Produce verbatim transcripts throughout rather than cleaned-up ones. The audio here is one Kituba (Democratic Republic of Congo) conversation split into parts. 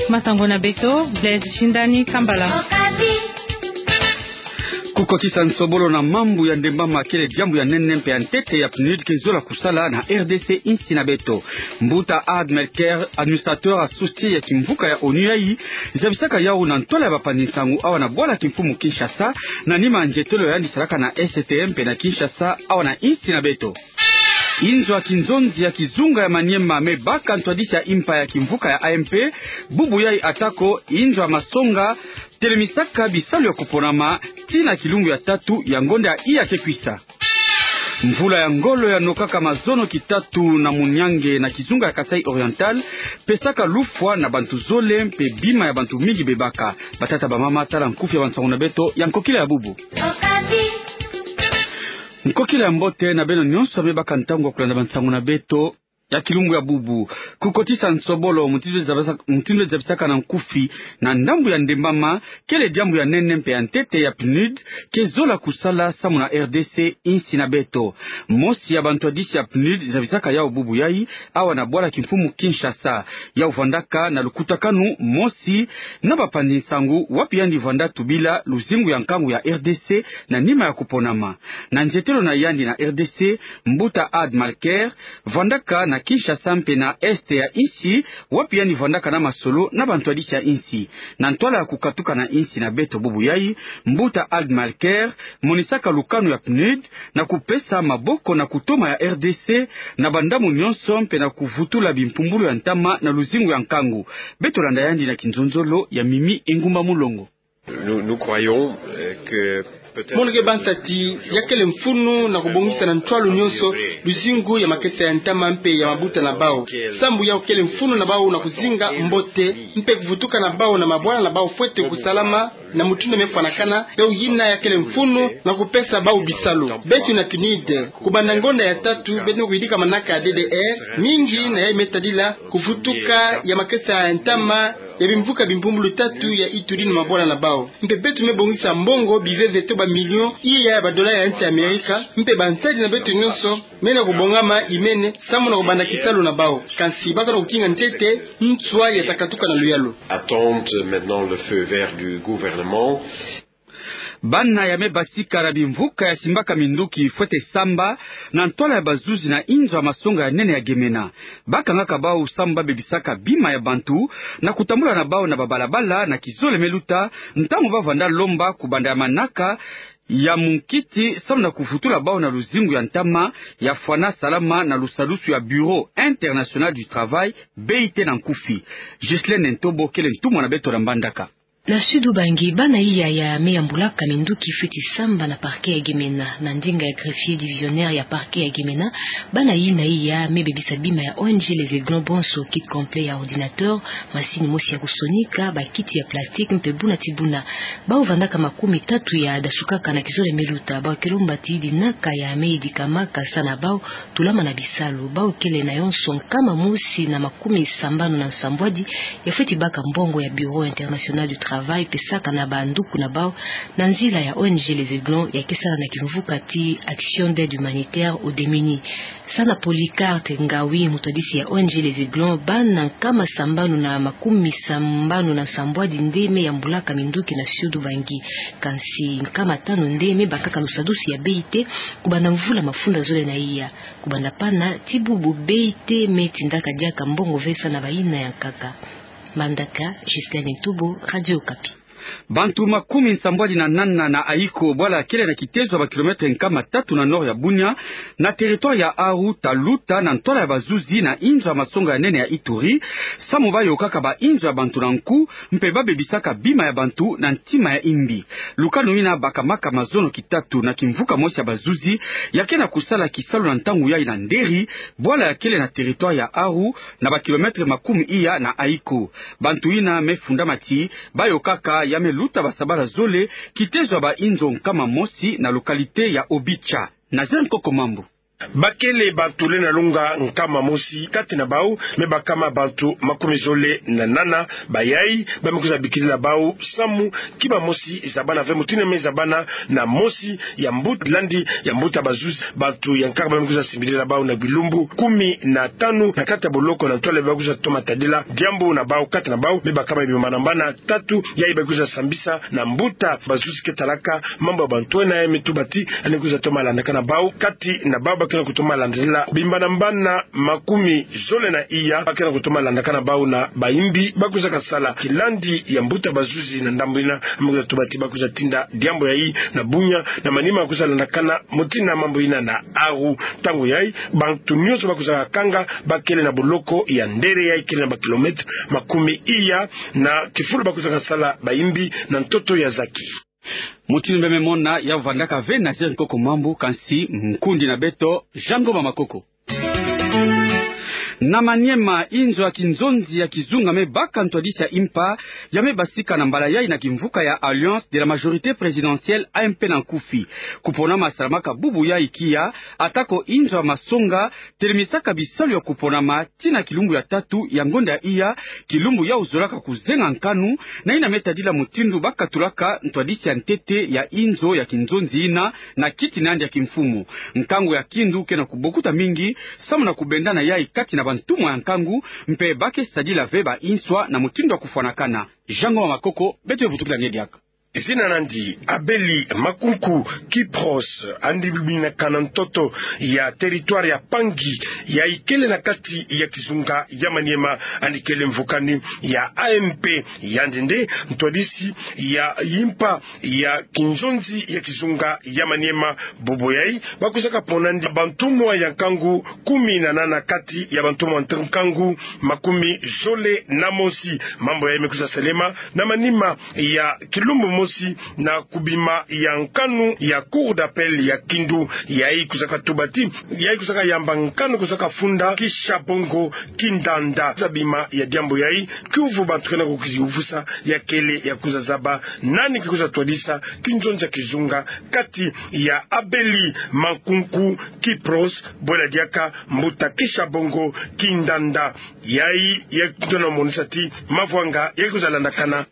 Masango na beto, Blaise Shindani Kambala. Kukotisa nsobolo na mambu ya ndembama kele diambu ya nene mpe ya ntete ya PNUD ke zola kusala na R D C, insi na beto. Mbuta Ard Melker, administrateur associé ya kimvuka ya ONU yai, zabisaka yawu na ntwala ya bapanzi nsangu awa na bwala kimfumu Kinshasa, na nima nzietelo yandi salaka na S T M mpe na Kinshasa, awa na insi na beto. Inzo ya kinzonzi ya kizunga ya Maniema me baka ntwadisi ya impa ya kimvuka ya A M P, bubu yai, atako inzo ya masonga telemisaka bisalu ya kuponama tii na kilumbu ya tatu ya ngonda ya iya ke kwisa. Mvula ya ngolo ya nokaka mazono kitatu na muniange na kizunga ya Kasaï Oriental, pesaka lufwa na bantu zole mpe bima ya bantu mingi bebaka. Batata, bamama, tala nkufi ya bansangu na beto ya nkokila ya bubu. Nkokila ya mbote na beno nyonso me baka ntangu ya kulanda bansangu na beto ya kilumbu ya bubu. Kukotisa nsobolo, mutindu zabisa-, mutindu zabisaka na nkufi, na ndambu ya ndembama, kele diambu ya nene mpe ya ntete ya PNUD ke zola kusala samu na R D C, insi na beto. Mosi ya bantwadisi ya PNUD zabisaka yawu bubu yai, awa na bwala kimfumu Kinshasa. Yawu vandaka na lukutakanu mosi na bapanzi nsangu, wapi yandi vanda tubila luzingu ya nkangu ya R D C na nima ya kuponama. Na nzietelo na yandi na R D C, Mbuta Ard Melker vandaka na Kinshasa mpe na est ya insi, wapi yandi vandaka na masolo na bantwadisi ya insi. Na ntwala ya kukatuka na insi na beto bubu yai, Mbuta Ard Melker monisaka lukanu ya PNUD na kupesa maboko na kutoma ya R D C na bandambu nyonso mpe na kuvutula bimpumbulu ya ntama na luzingu ya nkangu. Beto landa yandi na kinzonzolo ya Mimi Engumba Mulongo. Nous, nous croyons, euh, que peut-être... Mono ke banta ti ya kele mfunu na kubongisa na ntwalu nyonso luzingu ya makesa ya ntama mpe ya mabuta na bawu. Sambu yawu kele mfunu na bawu na kuzinga mbote mpe kuvutuka na bawu na mabwala na bawu fwete kusalama na mutindu mefwanakana, yawu yina ya kele mfunu na kupesa bawu bisalu. Beto na PNUD, kubanda ngonda ya tatu, beto me kuyidika manaka ya D D R, mingi na yayi me tadila kuvutuka ya makesa ya ntama ya bimvuka bimpumbulu tatu ya Ituri na mabwala na bawu. Mpe beto me bongisa mbongo biveve to ba millions iya ya badola ya nsi ya Amerika, mpe bansadi na beto nyonso mena kubongama imene samu na kubanda kisalu na bawu. Kansi baka na kukinga ntete nswa ya takatuka na luyalu. Attendent maintenant le feu vert du gouvernement. Bana ya me basika na bimvuka ya simbaka minduki fwete samba na ntwala ya bazuzi na inzo ya masonga ya nene ya Gemena. Bakangaka bawu samu babebisaka bima ya bantu na kutambula na bawu na babalabala na kizole me luta, ntangu ba vanda lomba kubanda ya manaka ya munkiti samu na kuvutula bawu na luzingu ya ntama ya fwana salama na lusadusu ya Bureau International du Travail, B I T na nkufi. Ghislaine Ntobo kele ntumwa na beto na Mbandaka. Na Sud-Ubangi, bana iya ya me yambulaka minduki fwete samba na parquet ya Gemena. Na ndinga ya greffier divisionnaire ya parquet ya Gemena, bana yina iya me bebisa bima ya O N G Les Aiglons bonso: kit complet ya ordinateur, masini mosi ya kusonika, bakiti ya plastique mpe buna ti buna. Bawu vandaka makumi tatu ya dasukaka na kizole me luta. Bawu ke lomba ti dinaka ya me yedikamaka sa na bawu tulama na bisalu. Bawu kele na yonso nkama mosi na makumi sambanu na nsambwadi ya fwete baka mbongo ya Bureau International du Travail pesaka na banduku na bawu na nzila ya O N G Les Aiglons ya ke sala na kimvuka ti Action d'Aide Humanitaire aux Démunis. Sa na Polycarpe Ngawi, mutwadisi ya O N G Les Aiglons, bana nkama sambanu na makumi sambanu na nsambwadi nde me yambulaka minduki na Sud-Ubangi. Kansi nkama tanu nde me bakaka lusadusu ya B I T kubanda mvula mafunda zole na iya. Kubanda pana ti bubu, B I T me tindaka diaka mbongo ve sa na bayina ya nkaka. Mbandaka, Ghislaine Ntobo, Radio Okapi. Bantu makumi nsambwadi na nana na Ayiko, bwala kele na kitezo ya ba kilomètre nkama tatu na nord ya Bunia, na territoire ya Aru, ta luta na ntwala ya bazuzi na inzo ya masonga ya nene ya Ituri, samu bayokaka bainzo ya bantu na nku, mpe babebisaka bima ya bantu na ntima ya imbi. Lukanu yina bakamaka mazono kitatu na kimvuka mosi ya bazuzi ya ke na kusala kisalu na ntangu yayi na Nderi, bwala ya kele na territoire ya Aru, na ba kilomètre makumi iya na Ayiko. Bantu yina me fundama ti bayokaka ya me luta basabala zole kitezo ya bainzo nkama mosi na localité ya Obicha. Nazaire Nkoko Mambu. Bakele bantu lenda longa nkama mosi kati na bau, me bakama bantu makumi zole na nana, bayai, ba me kwiza bikilila bau samu, kima mosi zabana ve mutindu ya me zabana na mosi ya mbuta, landi ya mbuta bazuzi, bantu ya nkaka ba me kwiza simbilila bau na bilumbu kumi na tanu na kati ya boloko na ntwala ba kwiza toma tadila diambu na bau kati na bau, me bakama bimbanambana tatu, yai ba kwiza sambisa na mbuta bazuzi ke talaka mambu ya bantu wena, ya me tuba ti yandi kwiza toma landakana bau kati na bau, ba ke na kutoma landila bimbanambana makumi zole na iya, ba ke na kutoma landakana bau na bayimbi ba kwiza kasala kilandi ya mbuta bazuzi na ndambu yina, ba me kwiza tuba ti ba kwiza tinda diambu yai na bunya, na manima kwiza landakana mutindu na mambu yina na aru. Ntangu yai, bantu nyonso ba kwiza kakanga bakele na boloko ya Ndere, yai kele na bakilometre makumi iya na kifulu ba kwiza kasala bayimbi na ntoto ya zaki. Mutindu beno me mona, ya vandaka ve Nazaire Nkoko Mambu, kansi nkundi na beto, Jean Ngoma Makoko. Na Maniema, inzo ya kinzonzi ya kizunga me baka ntwadisi ya impa, ya me basika na mbala yai na kimvuka ya Alliance de la Majorité Présidentielle, A M P na nkufi. Kuponama salamaka bubu yai kia, atako inzo ya masonga telemisaka bisalu ya kuponama tii na kilumbu ya tatu ya ngonda ya iya, kilumbu yau zolaka kuzenga nkanu, na yina me tadila mutindu ba katulaka ntwadisi ya ntete ya inzo ya kinzonzi yina na kiti na yandi ya kimfumu. Nkangu ya kindu ke na kubokuta mingi, samu na kubendana yai kati na bantumwa ya nkangu, mpe ba ke sadila ve ba inswa na mutindu ya kufwanakana. Jean Ngoma Makoko, beto ye vutukila nge diaka. Zina na yandi Abeli Makunku Kipros, yandi biminaka na ntoto ya territoire ya Pangi, yai kele na kati ya kizunga ya Maniema, yandi kele mvukani ya A M P, yandi nde ntwadisi ya impa ya kinzonzi ya kizunga ya Maniema. Bubu yai, ba kwizaka pona yandi bantumwa ya nkangu kumi na nana kati ya bantumwa ya nkangu makumi zole na mosi. Mambu yai me kwiza salema na manima ya kilumbu mosi na kubima ya nkanu ya Cour d'appel ya Kindu. Yai kwizaka tuba ti, yai kwizaka yamba nkanu kwizaka funda Kishabongo Kindanda. Za bima ya diambu yai, kiuvu bantu ke na kukiziyuvusa, ya kele ya kwiza zaba nani ke kwiza twadisa kinzonzi ya kizunga kati ya Abeli Makunku Kipros, bwela diaka mbuta Kishabongo Kindanda. Yai, yai ke na monisa ti mavwanga yai kwiza landakana.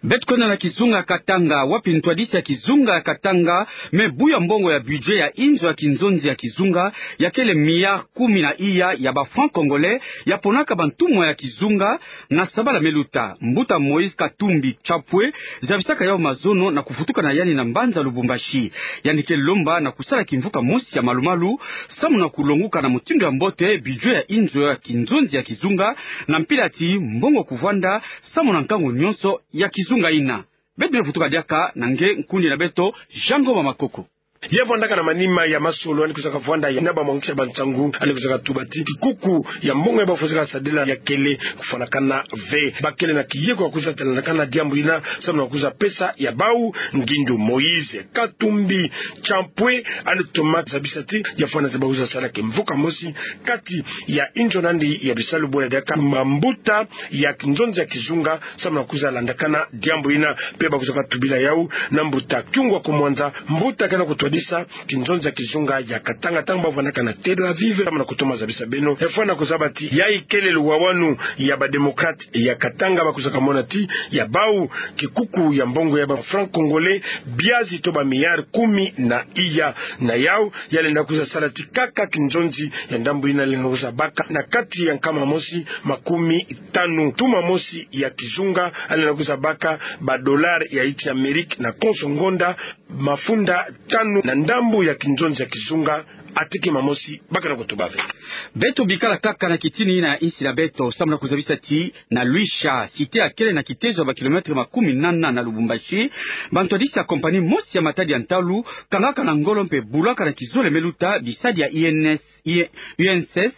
Beto kwenda na kizunga Katanga, wapi ntwadisi ya kizunga ya Katanga me buya mbongo ya budget ya inzo ya kinzonzi ya kizunga, ya kele milliard kumi na iya ya ba francs congolais, ya ponaka bantumwa ya kizunga, na sabala me luta. Mbuta Moïse Katumbi Chapwe zabisaka yau mazono na kuvutuka na yandi na mbanza Lubumbashi. Yandi ke lomba na kusala kimvuka mosi ya malumalu, samu na kulonguka na mutindu ya mbote budget ya inzo ya kinzonzi ya kizunga, na mpila ti mbongo kuvwanda samu na nkangu nyonso ya kizunga yina. Beto me vutuka diaka na nge nkundi na beto, Jean Ngoma Makoko. Ya vwandaka na manima ya masolo, yandi kwizaka vwanda na bamwangisi ya bansangu, yandi kwizaka tuba ti kikuku ya mbongo yai ba fwesaka sadila ya kele kufwanakana ve. Ba kele na kiyeko ya kwiza landakana diambu yina, samu na kwiza pesa ya bau ngindu. Moïse Katumbi Chapwe, yandi toma zabisa ti ya fwana ti ba kwiza sala kimvuka mosi kati ya inzo na yandi ya bisalu, bwela diaka mambuta ya kinzonzi ya kizunga, samu na kwiza landakana diambu yina. Mpe ba kwizaka tubila yau na mbuta Kyungwa Kumwanza, mbuta ke na kutwadisa kinzonzi ya kizunga ya Katanga, ntangu ba vwandaka na Tel Aviv, samu na kutoma zabisa beno. Ya fwana kuzaba ti yai kele luwawanu ya ba démocrates ya Katanga, ba kwizaka mona ti ya bau kikuku ya mbongo ya ba francs congolais biazi to ba milliards kumi na iya. Na yau, ya lenda kwiza sala ti kaka kinzonzi ya ndambu yina lenda kwiza baka na kati ya nkama mosi makumi tanu. Ntuma mosi ya kizunga, ya lenda kwiza baka ba dollars ya insi ya Amérique na konso ngonda mafunda tanu na ndambu ya kinzonzi ya kizunga. Atiki mamosi ba ke na kutuba ve. Beto bikala kaka na kitini yina ya insi na beto, samu na kuzabisa ti na Luisha, cité ya kele na kitezo ya ba kilomètres makumi nana na Lubumbashi, bantwadisi ya compagnie mosi ya matadi ya ntalu kangaka na ngolo mpe bulaka na kizole me luta bisadi ya I N S. I-, U N S S,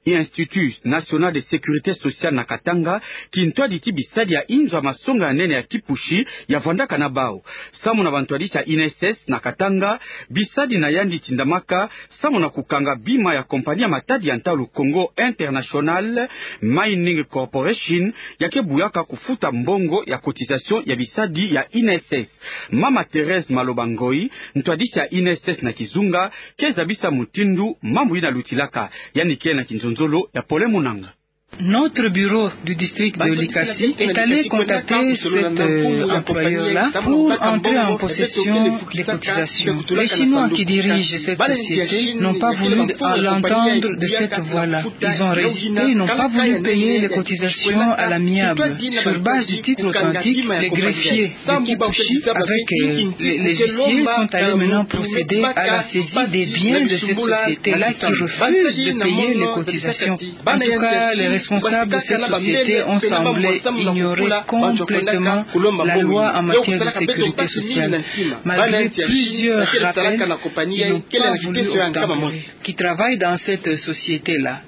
Institut National de Sécurité Sociale na Katanga, kintwadi ti bisadi ya inzo ya masonga ya nene ya kipusi ya vwandaka na bau. Samu na bantwadisi ya U N S S na Katanga, bisadi na yandi tindamaka samu na kukanga bima ya compagnie ya matadi ya ntalu Congo International Mining Corporation, ya ke buyaka kufuta mbongo ya cotisation ya bisadi ya U N S S. Mama Thérèse Maloba Ngoyi, ntwadisi ya U N S S na kizunga, ke zabisa mutindu mambu yina lutilaka. Yandi ke na kinzonzolo ya Pole Munanga. Notre bureau du district de Likasi est allé contacter cet, euh, employeur-là pour entrer en possession des cotisations. Les Chinois qui dirigent cette société n'ont pas voulu l'entendre de cette voix-là. Ils ont résisté, ils n'ont pas voulu payer les cotisations à l'amiable. Sur base du titre authentique, les greffiers de Kipushi avec, euh, les, les huissiers sont allés maintenant procéder à la saisie des biens de cette société-là qui refuse de payer les cotisations. En tout cas, les responsables de cette société ont semblé ignorer complètement la loi en matière de sécurité sociale. Malgré plusieurs rappels, ils n'ont pas voulu obtempérer. Qui travaillent dans cette société-là.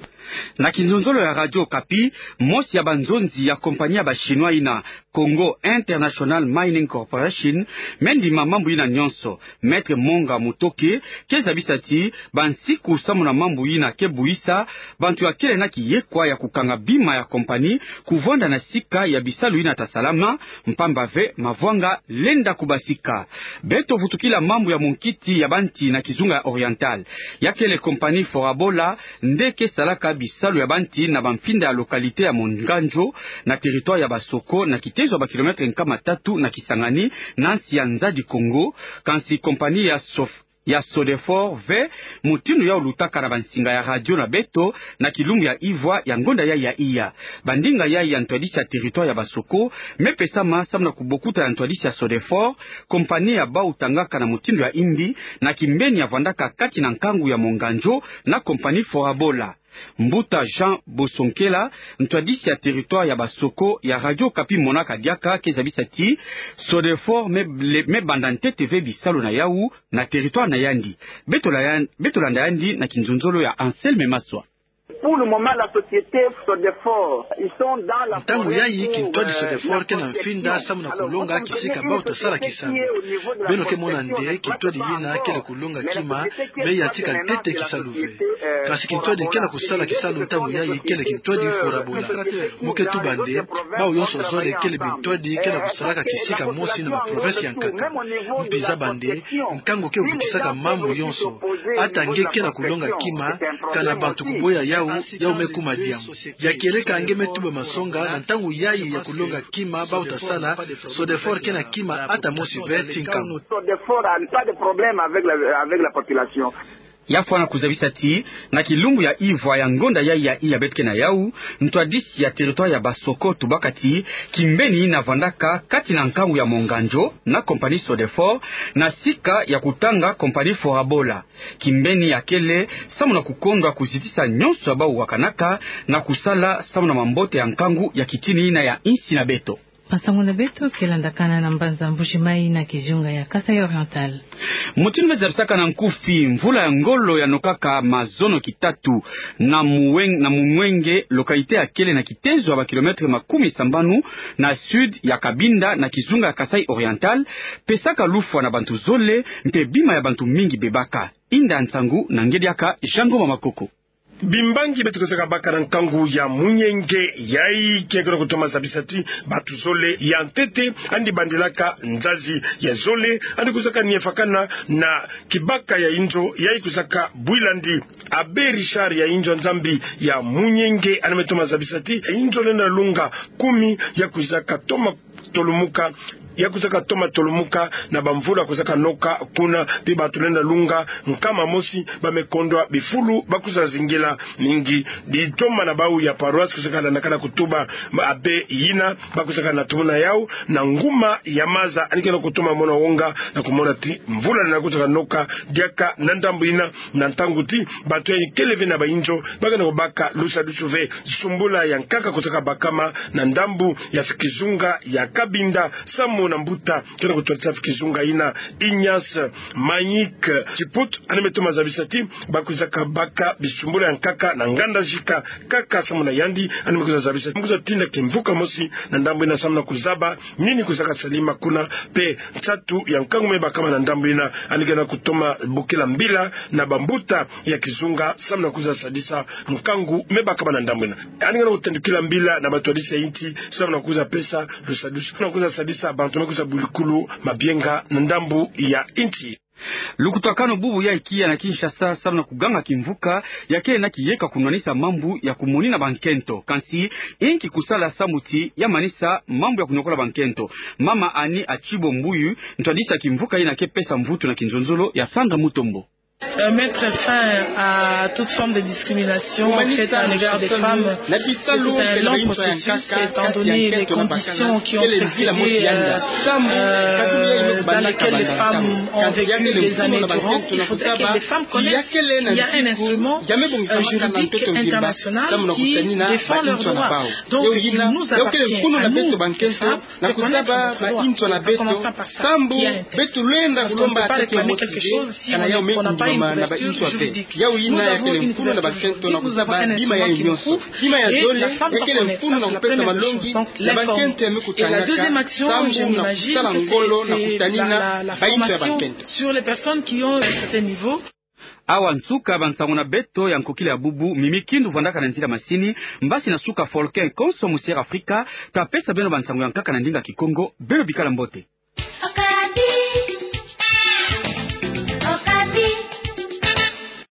Na kinzonzolo ya Radio Okapi, mosi ya banzonzi ya compagnie ya ba Chinois yina, Congo International Mining Corporation, me ndima mambu yina nyonso, Maître Monga Mutoke, ke zabisa ti bansiku samu na mambu yina ke buisa bantu ya kele na kiyekwa ya kukanga bima ya compagnie kuvwanda na sika ya bisalu yina ta salama, mpamba ve mavwanga lenda kubasika. Beto vutukila mambu ya munkiti ya banti na kizunga ya Oriental. Ya kele compagnie Forabola, nde ke salaka bisalu ya banti na bamfinda ya localité ya Monganjo, na territoire ya Basoko, na kitezo ya ba kilomètre nkama tatu na Kisangani, na nsi ya Nzadi Kongo, kansi compagnie ya Sof-, ya Sodefort ve, mutindu yau lutaka na bansinga ya radio na beto, na kilumbu ya ivwa ya ngonda yai ya iya. Bandinga yai ya ntwadisi ya territoire ya Basoko, me pesama samu na kubokuta ya ntwadisi ya Sodefort, compagnie ya bau tangaka na mutindu ya imbi, na kimbeni ya vwandaka kati na nkangu ya Monganjo, na compagnie Forabola. Mbuta Jean Bosonkela, ntwadisi ya territoire ya Basoko ya Radio Okapi monaka diaka, ke zabisa ti Sodefort me, le, me banda ntete ve bisalu na yau na territoire na yandi. Beto la yan-, beto landa yandi na kinzonzolo ya Anselme Maswa. Pour le moment, la société Sodefort, ils sont dans la forêt. Ntangu yai kintwadi Sodefort ke na mfinda samu na kulonga kisika bau ta sala kisalu. Beno ke mona nde kintwadi yina kele kulonga kima, me yatika ntete kisalu ve. Kansi kintwadi kele kusala kisalu ntangu yai kele kintwadi Forabola. Mu ke tuba nde, bau yonso zole kele bintwadi kele kusalaka kisika mosi na ba province ya nkaka. Mpi zaba nde, nkangu ke vutisaka mambu yonso. Ata nge kele kulonga kima, kana bantu kuboya yau, yau me kuma diambu. Ya kieleka nge me tuba masonga, na ntangu yai ya kulonga kima bau ta sala, Sodefort kele kima ata mosi ve ti nkangu. Sodefort a pas de problème avec la, avec la population. Ya fwana kuzabisa ti, na kilumbu ya ivwa ya ngonda yai ya iya beto ke na yau, ntwadisi ya territoire ya Basoko tubaka ti, kimbeni yina vwandaka kati na nkangu ya Monganjo, na compagnie Sodefort, na sika ya kutanga compagnie Forabola. Kimbeni ya kele, samu na kukondwa kuzitisa nyonso ya bau wakanaka, na kusala samu na mambote ya nkangu ya kitini yina ya insi na beto. Masangu na beto ke landakana na mbanza Mbuji-Mayi na kizunga ya Kasaï Oriental. Mutindu me zabisaka na nkufi, mvula ya ngolo ya nokaka mazono kitatu na Muweng-, na Mumwenge, localité ya kele na kitezo ya ba kilomètre makumi sambanu na sud ya Cabinda na kizunga ya Kasaï Oriental, pesaka lufwa na bantu zole, mpe bima ya bantu mingi bebaka. Inda nsangu na nge diaka Jean Ngoma Makoko. Bimbangi beto kusaka baka na nkangu ya Munyenge yai ke kero kutoma zabisa ti bantu zole ya ntete andi bandilaka nzazi ya zole andi kusaka niefakana na kibaka ya inzo yai kusaka bwilandi. Abbé Richard ya inzo Nzambi ya Munyenge andi me toma zabisa ti inzo lenda lunga kumi ya kusaka toma tolumuka, ya kusaka toma tolumuka na bamvula kusaka noka kuna, mpe bantu lenda lunga nkama mosi ba me kondwa bifulu ba kusa zingila mingi. Ditoma na bau ya paroisse kusaka landakana kutuba abbé yina, ba kusaka na tumuna yau na nguma ya maza andi kena kutoma mona wonga na kumona ti mvula lenda kusaka noka diaka na ndambu yina, na ntangu ti bantu yai kele ve na ba inzo ba kena kubaka lusadusu ve. Sumbula ya nkaka kusaka bakama na ndambu ya kizunga ya Kabinda, Samu na Mbuta, ke na kutwadisa kizunga ina. Ignace Manik Chiput, yandi me toma zabisa ti bakwizaka baka bisumbulu ya nkaka na nganda zika, kaka samu na yandi, yandi me kwiza zabisa, me kwiza tinda kimvuka mosi na ndambu ina samu na kuzaba nini kwizaka salama kuna, mpe nsatu ya nkangu me bakama na ndambu ina. Yandi ke na kutoma bokila mbila na bambuta ya kizunga samu na kwiza sadisa nkangu me bakama na ndambu ina. Yandi ke na kutandukila mbila na batwadisi ya insi samu na kwiza pesa lusadusu, samu na kwiza sadisa bantu me kwiza bulikulu mabienga na ndambu ya insi. Lukutakanu bubu ya ikiya na Kinshasa samu na kuganga kimvuka ya kele na kiyeka kunwanisa mambu ya kumonina bankento. Kansi, inki kusala samu ti ya manisa mambu ya kuniokola bankento? Mama Annie Achibo Mbuyu, ntwadisi ya kimvuka ina, ke pesa mvutu na kinzonzolo ya Sandra Mutombo. Euh, mettre fin à toute forme de discrimination faite à l'égard des femmes, c'est un long processus, étant donné les conditions qui ont précédé, euh, euh, dans lesquelles les femmes ont vécu des années durant. Il faudrait que les femmes connaissent qu'il y a un instrument, euh, juridique international qui défend leurs droits. Donc, il nous appartient à nous, les femmes, de connaître notre droit, en commençant par ça, qui a un texte. Parce qu'on ne peut pas réclamer quelque chose si on ne, on n'a pas une couverture juridique. Nous avons une couverture juridique, nous avons un instrument qui nous couvre, et la femme doit connaître. Ça, c'est la première des choses. Donc, l'informer. Et la deuxième action, je m'imagine que c'est, c'est la, la, la formation sur les personnes qui ont un certain niveau. Awa nsuka bansango na beto ya nkokila ya bubu. Mimi Kindu vandaka na nzila masini, mbasi na suka Folkin konso musi Air Afrika, ta pesa beno bansango ya nkaka na ndinga Kikongo. Beno bikala mbote.